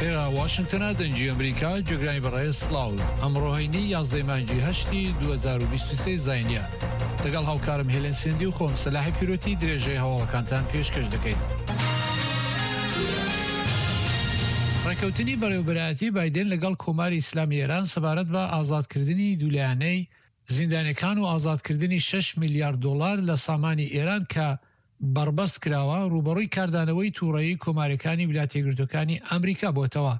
ئێرە واشنگتنە دەنگی ئەمریکا جێگرانی بەڕێز سڵاو ئەمڕۆ هەینی یازدەی مانگی هەشتی 2023 زینە دەگەڵ هاوکارم هێلێن سندی و خۆم سەلاحی پیرۆتی درێژەی هەواڵەکانتان پێشکەش دەکەین. ڕێکەوتنی بەڕێوبەرایەتی بایدن لەگەڵ کۆماری ئیسلامی ئێران سەبارەت بە ئازادکردنی دوولایەنەی زیندانیەکان و ئازادکردنی شەش میلیارد دۆڵار لە سامانی ئێران کە بەڕبەست کراوە، ڕووبەڕووی کاردانەوەی تووڕەیی کۆماریەکانی ویلاتەیەکگرتووەکانی ئەمریکا بۆتەوە.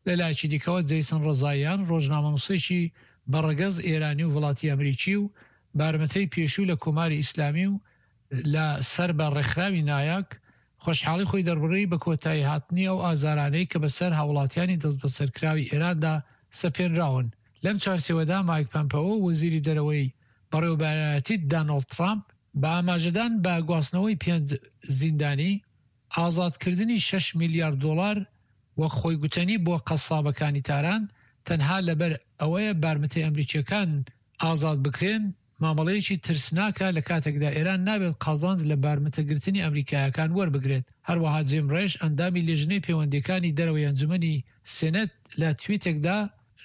لە لایەکی دیکەوە جەیسن ڕەزاییان ڕۆژنامەنووسێکی بە ڕەگەز ئێرانی و وڵاتی ئەمریکی و بارمتەی پێشوو لە کۆماری ئیسلامی و لە سەر بە ڕێکخراوی نایاک خۆشحاڵی خۆی دەربڕی بە کۆتایی هاتنی ئەو ئازارانەی کە بەسەر هاوڵاتیانی دەستبەسەرکراوی ئێراندا سەپێنراون. لەم چوارچێوەدا مایک پەمپئۆ وەزیری دەرەوەی بەڕێوەبەرایەتی دانۆڵد ترامپ بە ئاماژەدان بە گواستنەوەی پێنج زیندانی، ئازادکردنی شەش میلیارد دۆڵار وەک خۆی گوتەنی بۆ قەسابەکانی تاران تەنها لەبەر ئەوەیە بارمتەی ئەمریکییەکان ئازاد بکرێن، مامەڵەیەکی ترسناکە لە کاتێکدا ئێران نابێت قازانج لە بارمتەگرتنی ئەمریکایەکان وەربگرێت. هەروەها جیم ڕێش ئەندامی لیژنەی پەیوەندییەکانی دەرەوەی ئەنجومەنی سێنەت لە تویتێکدا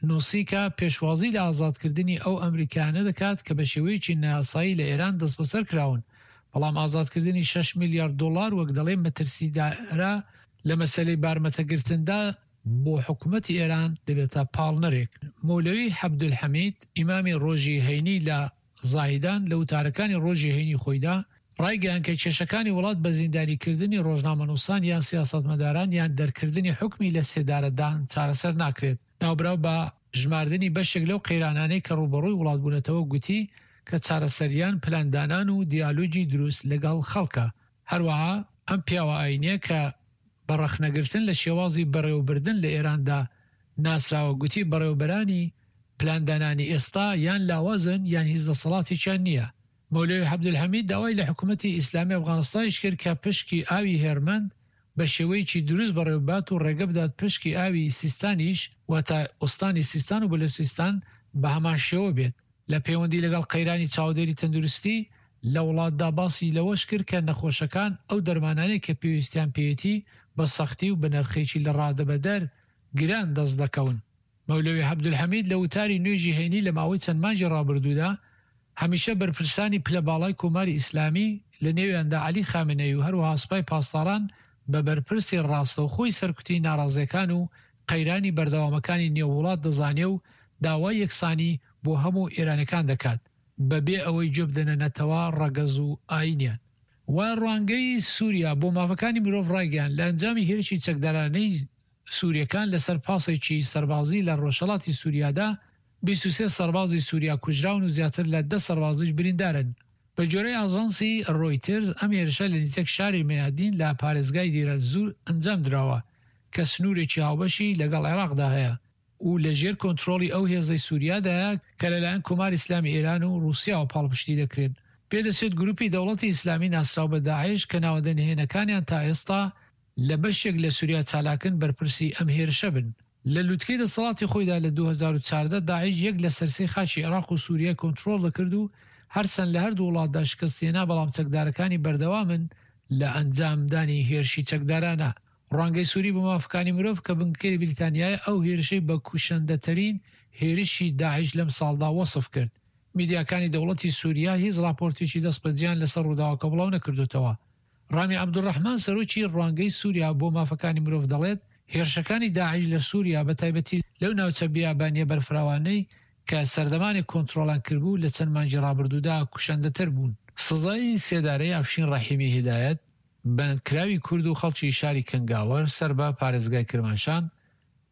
نووسی کە پێشوازی لە ئازادکردنی ئەو ئەمریکایانە دەکات کە بە شێوەیەکی نایاسایی لە ئێران دەستبەسەر کراون، بەڵام ئازادکردنی شەش میلیارد دۆڵار وەک دەڵێ مەترسیدارە لە مەسەلەی بارمتەگرتندا بۆ حکومەتی ئێران دەبێتە پاڵنەرێک. مەولەوی حەبدولحەمید، ئیمامی ڕۆژی هەینی لە زاهیدان لە وتارەکانی ڕۆژی هەینی خۆیدا ڕایگەیاند کە کێشەکانی وڵات بە زیندانیکردنی ڕۆژنامەنووسان یان سیاسەتمەداران یان دەرکردنی حوکمی لە سێدارەدان چارەسەر ناکرێت. ناوبراو بە ژماردنی بەشێک لەو قەیرانانەی کە ڕووبەڕووی وڵات بوونەتەوە گوتی کە چارەسەریان پلاندانان و دیالۆگی دروست لەگەڵ خەڵکە. هەروەها ئەم پیاوە ئایینیە کە بە ڕەخنەگرتن لە شێوازی بەڕێوەبردن لە ئێراندا ناسراوە گوتی بەڕێوەبەرانی پلاندانانی ئێستا یان لاوازن یان هیچ دەسەڵاتێکیان نییە. مەولەوی عەبدولحەمید داوای لە حکومەتی ئیسلامی ئەفغانستانیش کرد کە پشکی ئاوی هێرمەند بە شێوەیەکی دروست بەڕێوەببات و ڕێگە بدات پشکی ئاوی سیستانیش واتە ئوستانی سیستان و بەلوچستان بە هەمان شێوە بێت. لە پەیوەندی لەگەڵ قەیرانی چاودێری تەندروستی لە وڵاتدا باسی لەوەش کرد کە نەخۆشەکان ئەو دەرمانانەی کە پێویستیان پێیەتی بە سەختی و بە نرخێکی لە ڕادەبەدەر گران دەست دەکەون. مەولەوی عەبدولحەمید لە وتاری نوێژی هەینی لە ماوەی چەند مانگی ڕابردوودا هەمیشە بەرپرسانی پلە باڵای کۆماری ئیسلامی لە نێویاندا عەلی خامنەیی و هەروەها سپای پاسداران بە بەرپرسی ڕاستەوخۆی سەرکوتی ناڕازیەکان و قەیرانی بەردەوامەکانی نێو وڵات دەزانێ و داوای یەکسانی بۆ هەموو ئێرانیەکان دەکات بە بێ ئەوەی گوێ بدەنە نەتەوە، ڕەگەز و ئایینیان. و ڕوانگەی سوریا بۆ مافەکانی مرۆڤ ڕایگەیاند، لە ئەنجامی هێرشی چەکدارانەی سوریەکان لەسەر پاسێکی سەربازی لە ڕۆژهەڵاتی سوریادا 23 سەربازی سوریا کوژراون و زیاتر لە دە سەربازیش بریندارن. بە گوێرەی ئاژانسی ڕۆیتێرز ئەم هێرشە لە نزیک شاری مەیادین لە پارێزگای دیرەلزور ئەنجام دراوە کە سنوورێکی هاوبەشی لەگەڵ عێراقدا هەیە و لە ژێر کۆنترۆڵی ئەو هێزەی سوریادایە کە لەلایەن کۆماری ئیسلامی ئێران و ڕووسیاوە پاڵپشتی دەکرێن. پێدەچێت گروپی دەوڵەتی ئیسلامی ناسراو بە داعش کە ناوەندە نهێنەکانیان تا ئێستا لە بەشێک لە سوریا چالاکن بەرپرسی ئەم هێرشە بن. لە لوتکەی دەسەڵاتی خۆیدا لە 2014 داعش یەک لەسەر سێی خاکی عێراق و سوریای کۆنترۆڵ دەکرد و هەرچەند لە هەردوو وڵاتدا شکستهێنا بەڵام چەکدارەکانی بەردەوامن لە ئەنجامدانی هێرشی چەکدارانە. ڕوانگەی سوری بۆ مافەکانی مرۆڤ کە بنکەی لە بریتانیایە ئەو هێرشەی بە کوشەندەترین هێرشی داعش لەم ساڵدا وەسف کرد. میدیاکانی دەوڵەتی سوریا هیچ ڕاپۆرتێکی دەستبەجێیان لەسەر ڕووداوەکە بڵاو نەکردۆتەوە. ڕامی عەبدولڕەحمان سەرۆکی ڕوانگەی سوریا بۆ مافەکانی مرۆڤ دەڵێت، هێرشەکانی داعش لە سوریا بە تایبەتی لەو ناوچە بیابانییە بەرفراوانەی کە سەردەمانێک کۆنترۆڵیان کردبوو لە چەند مانگی ڕابردوودا کوشەندەتر بوون. سزای سێدارەی ئەفشین ڕەحیمی هیدایەت، بەندکراوی کورد و خەڵکی شاری کەنگاوەر سەر بە پارێزگای کرماشان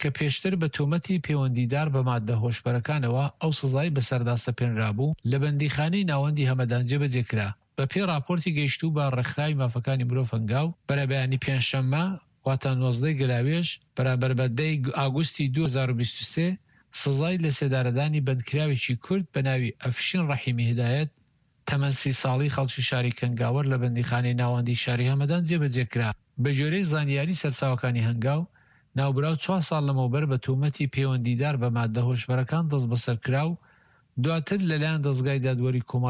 کە پێشتر بە تۆمەتی پێوەندیدار بە ماددە هۆشبەرەکانەوە ئەو سزای بەسەردا سەپێنرابوو، لە بەندیخانەی ناوەندی هەمەدان جێبەجێ کرا. بە پێی ڕاپۆرتی گەیشتوو بە ڕێکخراوی مافەکانی مرۆڤ هەنگاو، بەرەبەیانی پێنجشەممە، واتە 19 ی گەلاوێژ، بەرامبەر بە دە ی ئاگوستی 2023، سزای لەسێدارەدانی بەندکراوێکی کورد بە ناوی ئەفشین ڕەحیمی هیدایەت، تەمەن سی ساڵی خەڵکی شاری کەنگاوەر لە بەندیخانەی ناوەندیی شاری هەمەدان جێبەجێ کرا. بەگوێرەی زانیاری سەرچاوەکانی هەنگاو، ناوبراو چوار ساڵ لەمەوبەر بە تۆمەتی پەیوەندیدار بە ماددە هۆشبەرەکان دەستبەسەر کرا و دواتر لەلایەن دەزگای دادوەری کۆماری.